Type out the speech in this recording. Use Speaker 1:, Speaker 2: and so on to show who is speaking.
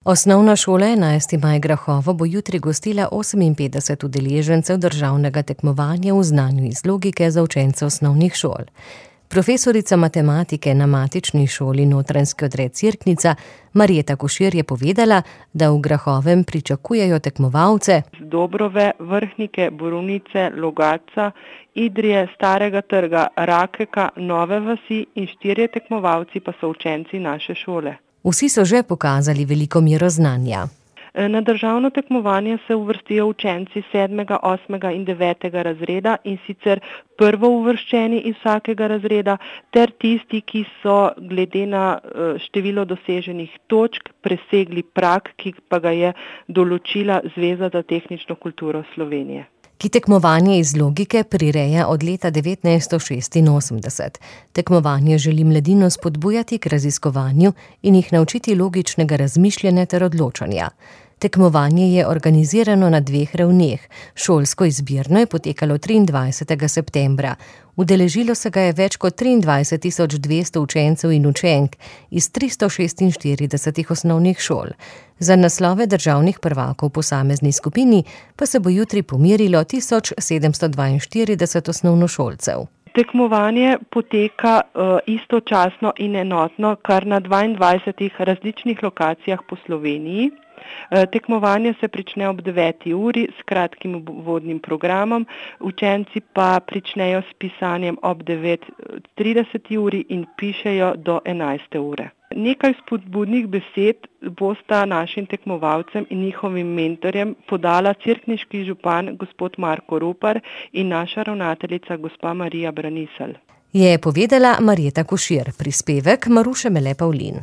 Speaker 1: Osnovna šola 11. maj Grahovo bo jutri gostila 58 udeležencev državnega tekmovanja v znanju iz logike za učence osnovnih šol. Profesorica matematike na matični šoli Notranjski odred Cerknica Marjeta Košir je povedala, da v Grahovem pričakujejo tekmovalce
Speaker 2: z Dobrove, Vrhnike, Borovnice, Logatca, Idrije, Starega trga, Rakeka, Nove vasi in 4 tekmovalci pa so učenci naše šole.
Speaker 1: Vsi so že pokazali veliko mero znanja.
Speaker 2: Na državno tekmovanje se uvrstijo učenci 7., 8. in 9. razreda, in sicer prvouvrščeni iz vsakega razreda ter tisti, ki so glede na število doseženih točk presegli prag, ki pa ga je določila Zveza za tehnično kulturo Slovenije.
Speaker 1: Ki tekmovanje iz logike prireja od leta 1986. Tekmovanje želi mladino spodbujati k raziskovanju in jih naučiti logičnega razmišljanja ter odločanja. Tekmovanje je organizirano na 2 ravneh. Šolsko izbirno je potekalo 23. septembra. Udeležilo se ga je več kot 23.200 učencev in učenk iz 346 osnovnih šol. Za naslove državnih prvakov v posamezni skupini pa se bo jutri pomerilo 1742 osnovnošolcev.
Speaker 2: Tekmovanje poteka istočasno in enotno kar na 22 različnih lokacijah po Sloveniji. Tekmovanje se prične ob 9. uri s kratkim uvodnim programom, učenci pa pričnejo s pisanjem ob 9:30 uri in pišejo do 11. ure. Nekaj spodbudnih besed bosta našim tekmovalcem in njihovim mentorjem podala cerkniški župan gospod Marko Ropar in naša ravnateljica gospa Marija Braniselj.
Speaker 1: Je povedala Marjeta Košir, prispevek Maruše Mele Pavlin.